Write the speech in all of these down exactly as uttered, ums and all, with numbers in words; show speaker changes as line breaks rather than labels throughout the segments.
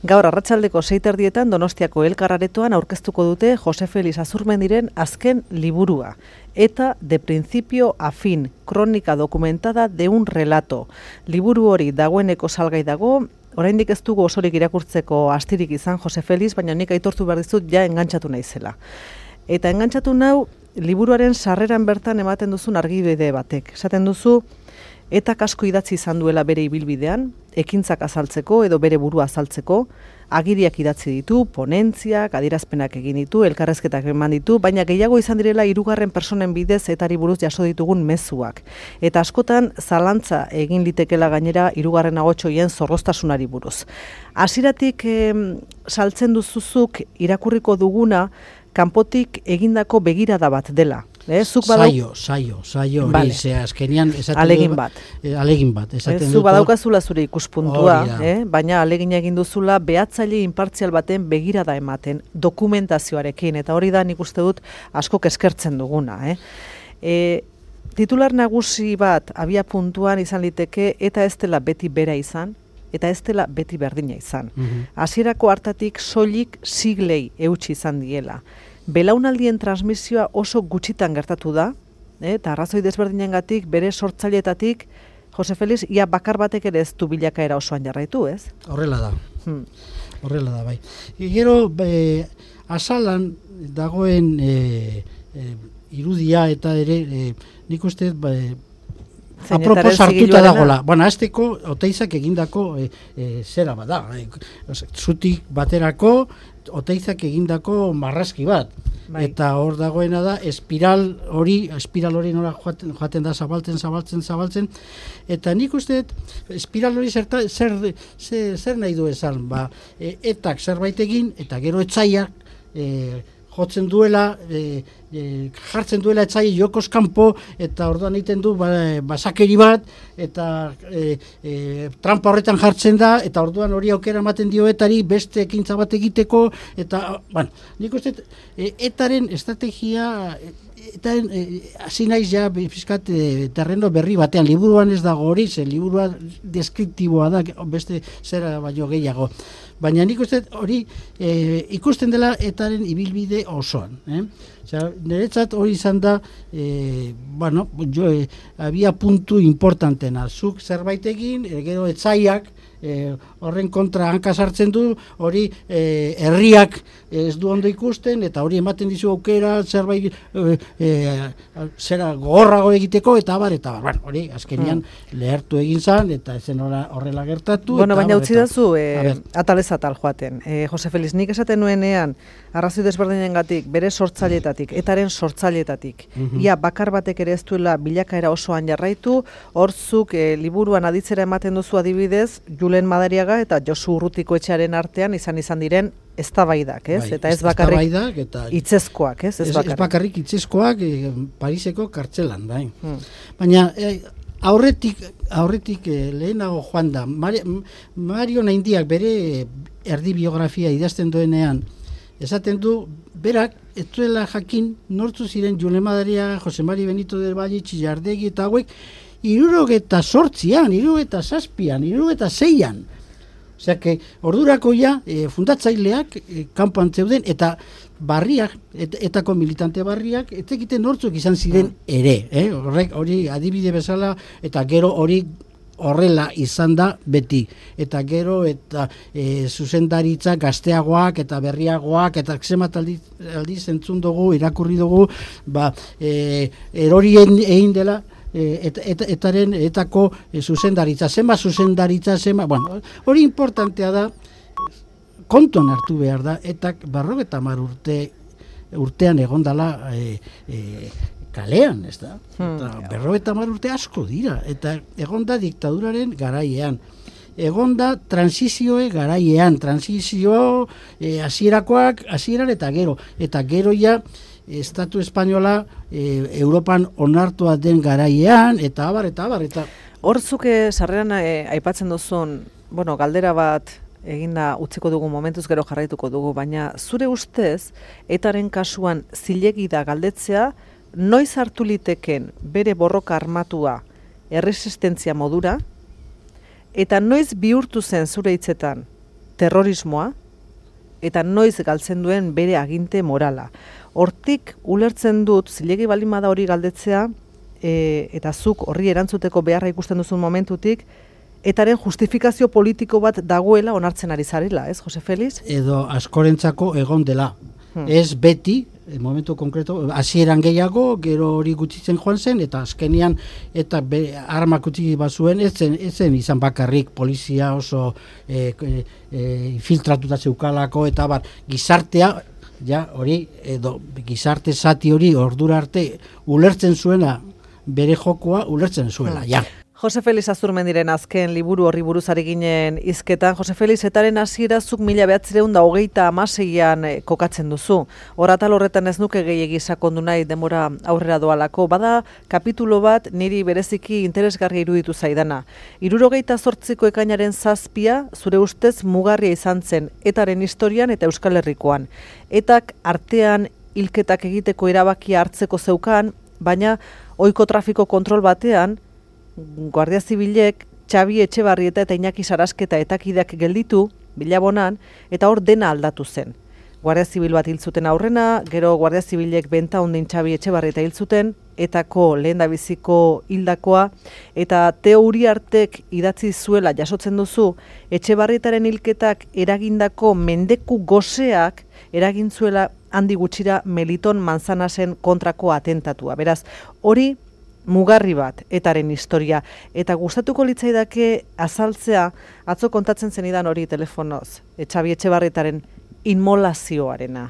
Gaur arratsaldeko sei terdietan Donostiako Elkararetoan aurkeztuko dute Jose Felix Azurmendiren azken liburua. Eta de principio a fin, kronika dokumentada de un relato. Liburu hori dagoeneko salgai dago, oraindik ez dugu osorik irakurtzeko astirik izan Jose Felix, baina nik aitortu behar dizut ja engantzatu naizela. Eta engantzatu nau, liburuaren sarreran bertan ematen duzun argibide batek. Esaten duzu, eta asko idatzi izan duela bere ibilbidean, ekintzak azaltzeko edo bere burua azaltzeko, agiriak idatzi ditu, ponentziak, adierazpenak egin ditu, elkarrezketak eman ditu, baina gehiago izan direla hirugarren personen bidez etari buruz jaso ditugun mezuak. Eta askotan zalantza egin litekela gainera hirugarren agotxoien zorroztasunari buruz. Hasieratik eh, saltzen duzuzuk irakurriko duguna, kanpotik egindako begirada bat dela. Eh,
saio, saio, saio, hori, vale. Ze azkenian esaten
alegin bat.
Eh, alegin bat, esaten
eh,
dut.
Zu badaukazula zure ikuspuntua, eh, baina alegina egin duzula behatzaile inpartzial baten begirada ematen, dokumentazioarekin, eta hori da nik uste dut asko eskertzen duguna. Eh. E, titular nagusi bat abia puntuan izan liteke, eta ez dela beti bera izan, eta ez dela beti berdina izan. Hasierako mm-hmm. hartatik soilik siglei eutsi izan diela. Belaunaldien transmisioa oso gutxitan gertatu da, eh, eta arrazoi desberdinengatik bere sortzaileetatik Jose Felix ia bakar batek ere ez du bilakaera osoan jarraitu, ez?
Horrela da.
Hmm.
Horrela da, bai. E, gero, be, azalan dagoen e, e, irudia eta ere, e, nik uste, ba, apropos hartuta dagoela. Bueno, azteko, Oteizak egindako e, e, zera bada. E, zutik baterako, Oteizak egindako marrazki bat. Bai. Eta hor dagoena da, espiral hori, espiral hori nora joaten, joaten da zabaltzen, zabaltzen, zabaltzen. Eta nik uste, espiral hori zerta, zer, zer, zer nahi du esan, ba, e, etak zerbait egin, eta gero etzaiak, e, jotzen duela, e, e, jartzen duela etzai jokoz kanpo, eta orduan egiten du ba, basakeri bat, eta e, e, trampa horretan jartzen da, eta orduan hori aukera ematen dio etari beste ekintza bat egiteko, eta, bueno, nik uste, e, etaren estrategia, eta hasi e, naiz ja fiskat e, terreno berri batean, liburuan ez dago hori, ze liburua deskriptiboa da, beste zera baino gehiago. Baina nik uste hori e, ikusten dela etaren ibilbide osoan. Eh? Osea, niretzat hori izan da, e, bueno, jo, e, abia puntu importantena. Zuk zerbait egin, e, gero etzaiak, E, horren kontra hanka sartzen du, hori e, herriak ez du ondo ikusten, eta hori ematen dizu aukera zerbait e, e, zera gogorrago egiteko, eta abar, eta abar. Bueno, hori azkenian hmm. lehertu egin zan, eta ezen horrela gertatu.
Bueno, baina utzi dazu, e, atalez atal joaten. E, Jose Felix, nik esaten nuenean, arrazoi desberdinengatik, bere sortzailetatik, etaren sortzailetatik, mm-hmm. ia bakar batek ere ez duela bilakaera osoan jarraitu, horzuk e, liburuan aditzera ematen duzu adibidez, Julen Madariaga eta Josu Urrutiko etxearen artean izan izan diren eztabaidak, ez? Bai, eta ez bakarrik eta hitzezkoak, ez? Ez, ez bakarrik, ez bakarrik
hitzezkoak e, Pariseko kartzelan, bai. Hmm. Baina e, aurretik aurretik e, lehenago joan da, Mario, Mario Naindiak bere erdi biografia idazten duenean, esaten du, berak, ez duela jakin nortzu ziren Julen Madariaga, Jose Mari Benito del Valle, Txillardegi eta hauek, irurogeta sortzian, irurogeta zazpian, irurogeta zeian. Osea, que ordurako ja, e, fundatzaileak e, kanpoan zeuden, eta barriak, et, etako militante barriak, etekiten nortzuk izan ziren ere. Eh? Horrek, hori adibide bezala, eta gero hori horrela izan da beti. Eta gero, eta e, zuzendaritza gazteagoak, eta berriagoak, eta zemat aldiz, aldiz entzun dugu, irakurri dugu, ba, e, erorien egin dela, Eta, eta, etaren etako e, zuzendaritza, zema zuzendaritza, zema, bueno, hori importantea da, kontuan hartu behar da, eta berrogeta hamar urte, urtean egondala e, e, kalean, ez da? Hmm. Berrogeta hamar urte asko dira, eta egonda diktaduraren garaiean. Egonda transizioe garaiean, transizio e, hasierakoak, hasieran eta gero, eta gero ja, Estatu Espainola e, Europan onartua den garaiean, eta abar, eta abar, eta...
Horzuke sarreran e, aipatzen duzun, bueno, galdera bat eginda utziko dugu momentuz gero jarraituko dugu, baina zure ustez, etaren kasuan zilegi da galdetzea, noiz hartu liteken bere borroka armatua erresistentzia modura, eta noiz bihurtu zen zure hitzetan terrorismoa eta noiz galtzen duen bere aginte morala. Hortik ulertzen dut, zilegi baldin bada hori galdetzea, e, eta zuk horri erantzuteko beharra ikusten duzun momentutik, etaren justifikazio politiko bat dagoela onartzen ari zarela, ez, Jose Felix?
Edo askorentzako egon dela. Hmm. Ez beti, momentu konkreto, hasieran gehiago, gero hori gutxitzen joan zen, eta azkenian, eta be, armak utzi bazuen, ez zen, ez zen izan bakarrik polizia oso e, e, filtratuta zeukalako, eta bar, gizartea, ja, hori, edo gizarte zati hori ordura arte ulertzen zuena, bere jokoa ulertzen zuela, ja.
Jose Felix Azurmendiren azken liburu horri buruz ari ginen hizketan. Jose Felix, etaren hasiera zuk mila bederatziehun eta hogeita hamaseian kokatzen duzu. Horatal horretan ez nuke gehiegi sakondu nahi denbora aurrera doalako. Bada kapitulo bat niri bereziki interesgarria iruditu zaidana. Hirurogeita zortziko ekainaren zazpia zure ustez mugarria izan zen etaren historian eta Euskal Herrikoan. Etak artean hilketak egiteko erabakia hartzeko zeukan, baina ohiko trafiko kontrol batean Guardia Zibilek Xabi Etxebarrieta eta Iñaki Sarasketa etakideak gelditu Bilabonan, eta hor dena aldatu zen. Guardia Zibil bat hil zuten aurrena, gero Guardia Zibilek Bentaundin Xabi Etxebarrieta hil zuten, etako lehendabiziko hildakoa, eta Teo Uriartek idatzi zuela jasotzen duzu, Etxebarrietaren hilketak eragindako mendeku goseak eragin zuela handi gutxira Meliton Manzanasen kontrako atentatua. Beraz, hori mugarri bat etaren historia, eta gustatuko litzaidake azaltzea, atzo kontatzen zenidan hori telefonoz, Xabi Etxebarrietaren inmolazioarena,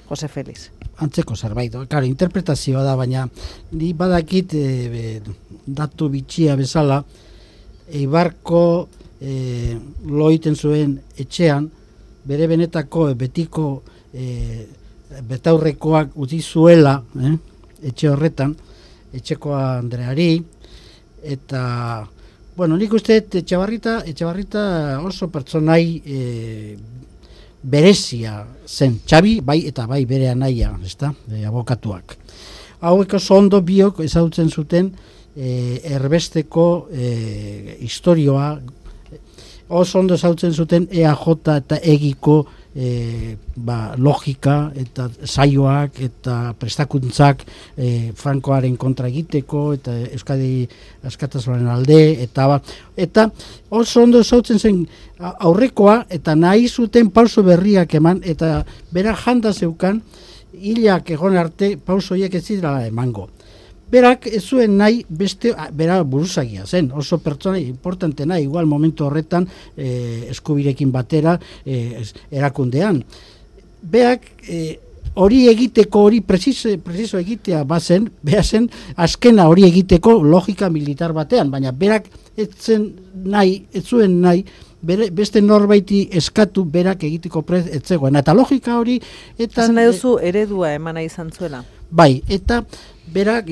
Jose Felix.
Antzeko zerbait, claro, interpretazioa da, baina ni badakit e, datu bitxia bezala, Eibarko e, loiten zuen etxean, bere benetako betiko e, betaurrekoak utzi zuela, eh, etxe horretan, Etxekoa Andreari, eta, bueno, nik uste Etxebarrieta, Etxebarrieta oso pertsonai e, berezia zen, Xabi, bai eta bai bere anaia, ezta, e, abokatuak. Hauek oso ondo biok ezagutzen zuten e, erbesteko e, historioa, oso ondo ezagutzen zuten E A J eta egiko E, ba, logika eta saioak eta prestakuntzak e, Frankoaren kontra egiteko eta Euskadi askatasunaren alde eta ba, eta oso ondo zautzen zen aurrekoa eta nahi zuten pauso berriak eman eta bera janda zeukan hilak egon arte pauso horiek ez zirela emango. Berak ez zuen nahi beste, bera buruzagia zen, oso pertsona importantena, igual momentu horretan eh, eskubirekin batera eh, erakundean. Berak eh, hori egiteko, hori preciso, preciso egitea bazen, beha zen azkena hori egiteko logika militar batean, baina berak ez zen nahi, ez zuen nahi, bere, beste norbaiti eskatu berak egiteko prez ez zegoen. Eta logika hori...
Eta nahi duzu eredua emana izan zuela?
Bai, eta berak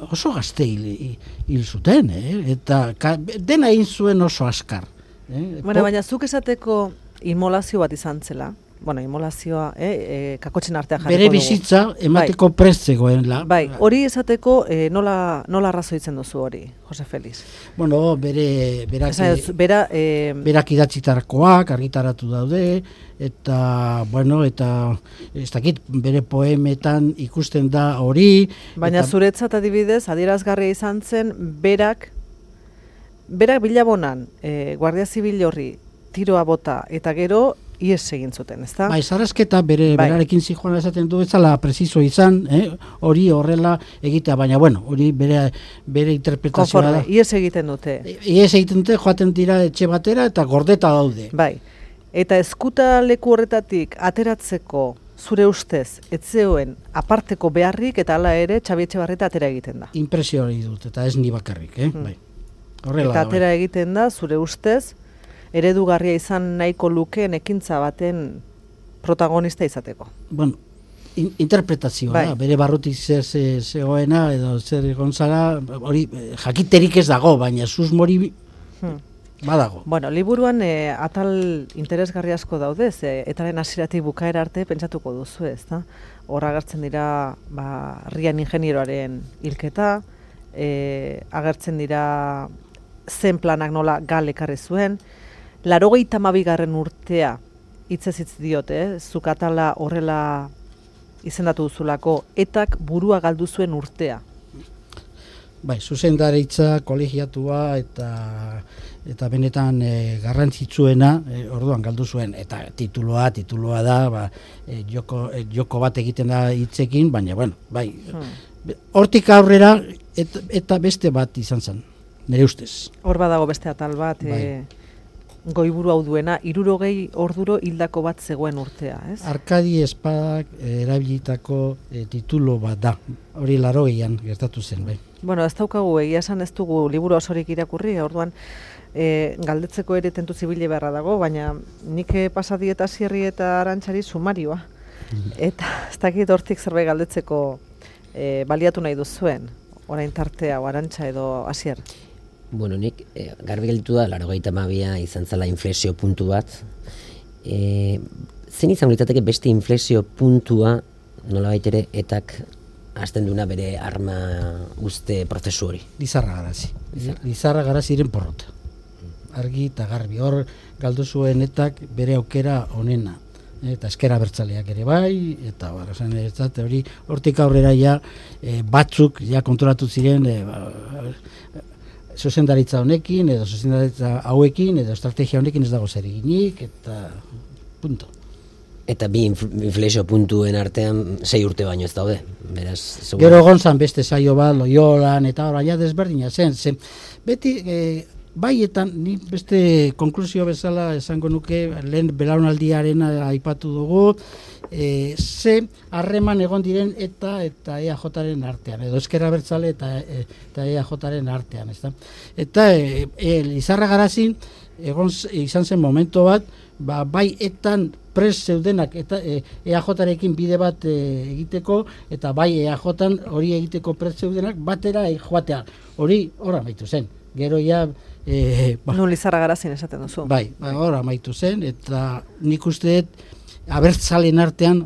oso gazte hil, hil zuten, eh? Eta ka, dena egin zuen oso askar. Eh?
Bueno, baina zuk esateko inmolazio bat izan zela, bueno, inmolazioa, eh, e, kakotxen artean jarriko
bere bizitza emateko bai. Prest zegoenla.
Bai, hori esateko eh, nola, nola arrazoitzen duzu hori, Jose Felix?
Bueno, bere, berak,
Esa, bera, eh,
berak idatzitarakoak argitaratu daude, eta, bueno, eta ez dakit, bere poemetan ikusten da hori.
Baina eta... zuretzat adibidez, adierazgarria izan zen, berak, berak Bilabonan, eh, Guardia Zibil horri, tiroa bota, eta gero, ies egin zuten, ezta?
Bai, Sarasketa bere bai. Berarekin zijoan esaten du, ezala preciso izan, eh? Hori horrela egitea, baina bueno, hori bere, bere interpretazioa da.
Konforme, ies egiten dute.
Ies egiten dute, joaten dira etxe batera eta gordeta daude.
Bai, eta eskuta leku horretatik ateratzeko zure ustez, etzeoen aparteko beharrik eta hala ere Xabi Etxebarrieta atera egiten da.
Impresio hori dut, eta ez ni bakarrik, eh? Hmm. Bai. Horrela
eta
da,
atera
bai.
egiten da, zure ustez, eredugarria izan nahiko lukeen ekintza baten protagonista izateko.
Bueno, in, interpretazioa bai. Da, bere barrutik zer zegoena edo zer gonzara, hori jakiterik ez dago, baina susmori hmm. badago.
Bueno, liburuan e, atal interesgarri asko daude, ze etaren hasieratik bukaera arte pentsatuko duzu, ez da? Hor agertzen dira, ba, Rian ingenieroaren hilketa, e, agertzen dira zen planak nola gal ekarri zuen, Laurogeita hamabigarren urtea hitzez hitz diot, eh? Zuk atala horrela izendatu duzulako, etak burua galdu zuen urtea.
Bai, zuzendaritza, kolegiatua eta eta benetan e, garrantzitsuena e, orduan galdu zuen, eta tituloa, tituloa da, ba, e, joko, e, joko bat egiten da hitzekin, baina, bueno, bai, hmm. hortik aurrera et, eta beste bat izan zen, nire ustez.
Hor badago beste atal bat, bai. e, goiburu hau duena, hirurogei orduro hildako bat zegoen urtea, ez?
Arkadi Espadak erabilitako e, titulo bat da, hori laurogeian gertatu zen, bai.
Bueno, ez daukagu, egia esan ez dugu liburu osorik irakurri, orduan e, galdetzeko ere tentu zibile beharra dago, baina nik pasadieta Sierri eta Arantxari sumarioa. Eta ez dakit hortik zerbait galdetzeko e, baliatu nahi duzuen, orain tartea o Arantxa edo Asier.
Bueno, nik e, garbi gelditu da, laurogeita hamabia izan zela inflexio puntu bat. E, zen izango litzateke beste inflexio puntua nolabait ere etak hasten duna bere arma uste prozesu hori.
Lizarra Garazi. Lizarra Garaziren porrota. Argi eta garbi. Hor galdu zuen etak bere aukera onena. Eta eskera bertzaleak ere bai, eta bar, esan ez hori hortik aurrera ja e, batzuk ja kontrolatu ziren e, ba, zuzendaritza honekin, edo zuzendaritza hauekin, edo estrategia honekin ez dago zer eginik, eta punto.
Eta bi inflexio puntuen artean sei urte baino ez daude. Beraz, segun...
Gero gonzan beste saio bat, Loiolan, eta hori, ja desberdina zen. zen beti, e, baietan, ni beste konklusio bezala esango nuke, lehen belaunaldiaren aipatu dugu, e, ze harreman egon diren eta eta E A Jaren artean, edo ezkerra bertzale eta, eta E A Jaren artean. Ezta? Eta e, e, Lizarra Garazin egon izan zen momento bat, ba, bai etan pres zeudenak eta e, EAJarekin bide bat e, egiteko, eta bai E A Jan hori egiteko pres zeudenak batera e, joatea. Hori hor amaitu zen. Gero ja... E, ba,
no, Lizarra Garazin esaten duzu.
Bai, ba, hor amaitu zen, eta nik uste abertzalen artean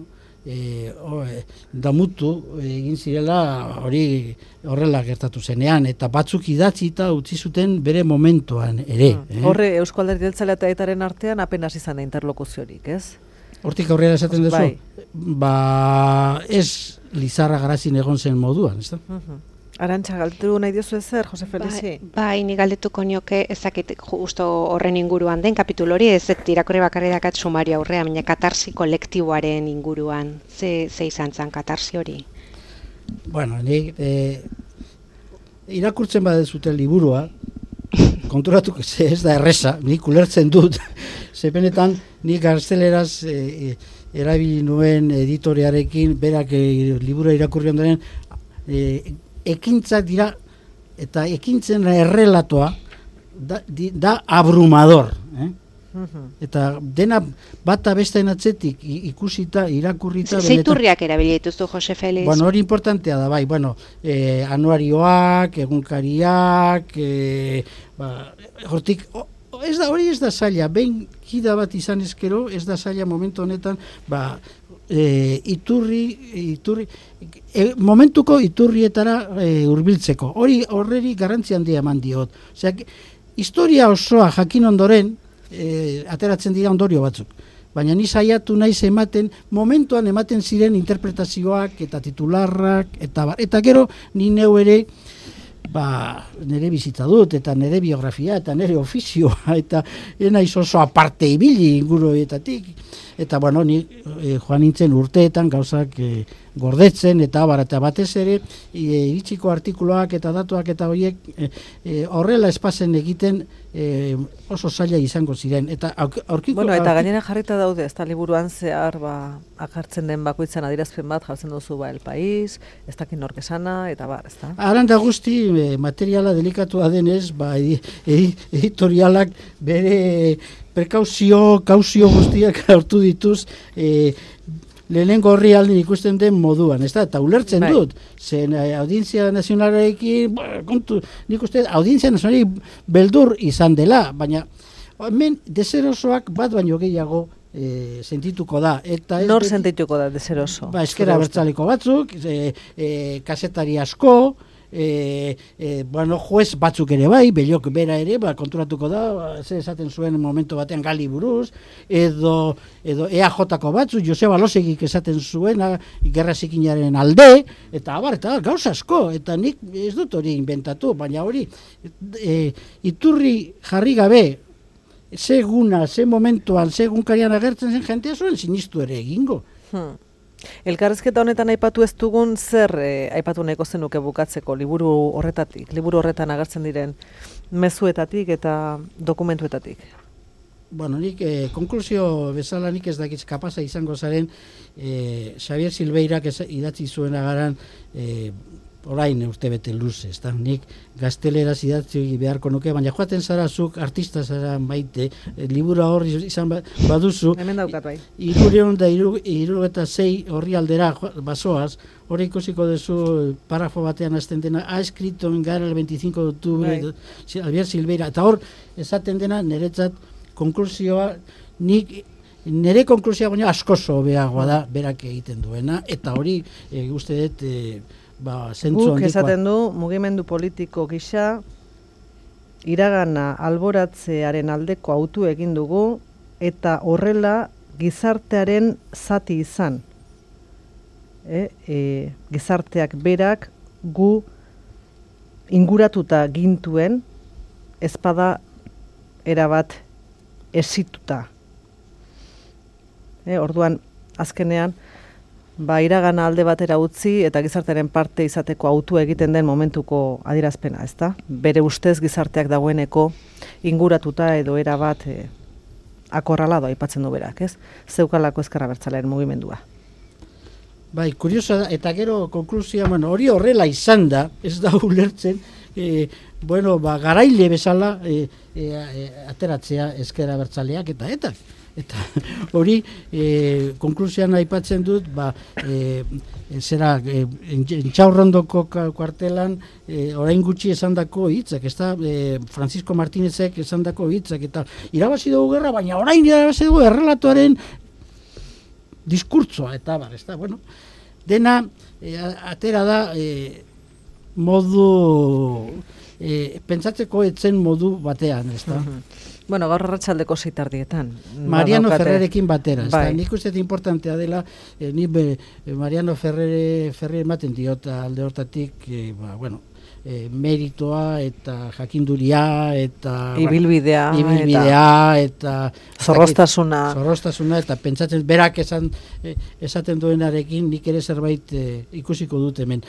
e, o, e, damutu egin zirela hori horrela gertatu zenean, eta batzuk idatzi eta utzi zuten bere momentuan ere.
Hmm. Eh? Horre Eusko Alderdi Jeltzalea eta etaren artean apenas izan da interlokuziorik, ez?
Hortik aurrera esaten duzu? Bai. Ba, ez Lizarra Garazin egon zen moduan, ez da?
Uh-huh. Arantxa, galdetu nahi diozu ezer, Jose Felizi?
Bai, bai, ni galdetuko nioke ezakit justo horren inguruan den kapitulu hori, ez irakurri bakarri dakat sumario aurrea, baina katarsi kolektiboaren inguruan, ze, ze izan zen katarsi hori?
Bueno, ni eh, irakurtzen badezuten liburua, konturatu ez da erreza, nik ulertzen dut, zepenetan nik gazteleraz eh, erabili nuen editorearekin, berak eh, liburua irakurri ondoren, eh, ekintzak dira, eta ekintzen errelatoa da, di, da abrumador. Eh? Uh-huh. Eta dena bata bestean atzetik ikusita, irakurrita...
Zeiturriak erabili dituzu, Jose Feliz?
Bueno, hori importantea da, bai, bueno, eh, anuarioak, egunkariak, eh, ba, hortik... Oh, ez da, hori ez da zaila, behin kida bat izan ezkero, ez da zaila momentu honetan, ba, e, iturri, iturri e, momentuko iturrietara e, hurbiltzeko. Hori horreri garrantzi handia eman diot. Osea, historia osoa jakin ondoren, e, ateratzen dira ondorio batzuk. Baina ni saiatu naiz ematen, momentuan ematen ziren interpretazioak eta titularrak, eta, eta gero ni neu ere, ba, nire bizitza dut, eta nire biografia, eta nire ofizioa, eta naiz oso aparte ibili inguruetatik. Eta, bueno, ni e, joan nintzen urteetan gauzak e, gordetzen, eta bar, eta batez ere, e, iritsiko artikuluak eta datuak eta horiek e, e, horrela espazen egiten e, oso zaila izango ziren. Eta aurkiko...
Bueno, eta gainera jarrita daude, ez da liburuan zehar, ba, akartzen den bakoitzan adierazpen bat, jartzen duzu, ba, El País, ez dakin nork esana, eta bar, ez da?
Aranda guzti, e, materiala delikatua denez, ba, edi, edi, editorialak bere prekauzio, kauzio guztiak hartu dituz, e, lehenengo horri aldin ikusten den moduan, ez da? Eta ulertzen bai. Dut, zen eh, audientzia nazionalarekin, kontu, nik uste, audientzia nazionalarekin beldur izan dela, baina hemen deserosoak bat baino gehiago e, sentituko da. Eta
nor sentituko da deseroso?
Ba, eskera bertzaleko batzuk, e, e, kasetari asko, e, e, bueno, juez batzuk ere bai, Bellok bera ere, ba, konturatuko da, ze esaten zuen momentu batean gali buruz, edo, edo E A J-ko batzu, Joseba Losegik esaten zuen, gerra zikinaren alde, eta abar, eta gauza asko, eta nik ez dut hori inventatu, baina hori, e, iturri jarri gabe, seguna, ze momentuan, segunkarian agertzen zen jentea zuen, sinistu ere egingo.
Hmm. Elkarrizketa honetan aipatu ez dugun zer eh, aipatu nahiko zenuke bukatzeko liburu horretatik, liburu horretan agertzen diren mezuetatik eta dokumentuetatik?
Bueno, nik eh, konklusio bezala nik ez dakitz kapasa izango zaren eh, Xavier Silveirak idatzi zuen agaran eh, orain urte bete luze, ezta? Nik gazteleraz idatzi beharko nuke, baina joaten zara zuk artista zara maite, e, libura horri izan baduzu,
hemen daukat bai.
Irureun da iru eta sei horri aldera basoaz, hori ikusiko duzu parafo batean azten dena, ha escrito en gara el veinticinco de octubre, bai. Javier Silveira, eta hor esaten dena niretzat konklusioa, nik nire konklusioa baina askoso beagoa da berak egiten duena, eta hori e, uste dut e, ba, zentzu
Guk esaten du, mugimendu politiko gisa, iragana alboratzearen aldeko autu egin dugu, eta horrela gizartearen zati izan. E, e, gizarteak berak gu inguratuta gintuen, ezpada erabat esituta. E, orduan, azkenean, ba, iragana alde batera utzi eta gizartearen parte izateko autu egiten den momentuko adierazpena, ezta? Bere ustez gizarteak dagoeneko inguratuta edo era bat e, akorralado aipatzen du berak, ez? Zeukalako ezker abertzalearen mugimendua.
Bai, kuriosa da, eta gero konklusioa, bueno, hori horrela izan da, ez da ulertzen, e, bueno, ba, garaile bezala e, e, e, ateratzea ezker abertzaleak eta eta. Eta hori e, konklusioan aipatzen dut, ba, e, zera, e, Entxaurrondoko kuartelan e, orain gutxi esandako hitzak, ez da, e, Francisco Martínezek esandako hitzak, eta irabazi dugu gerra, baina orain irabazi dugu errelatuaren diskurtsoa, eta bar, ez da, bueno, dena e, atera da e, modu, e, pentsatzeko etzen modu batean, ez da.
Bueno, gaur arratsaldeko seitardietan.
Mariano Ferrerekin batera.
Bai.
Nik uste importantea dela, eh, ni be, eh, Mariano Ferrere, Ferrere ematen diot alde hortatik, eh, ba, bueno, eh, meritoa eta jakinduria eta
ibilbidea,
ba, ibilbidea eta, eta
zorroztasuna.
Zorroztasuna eta pentsatzen berak esan eh, esaten duenarekin nik ere zerbait eh, ikusiko dut hemen.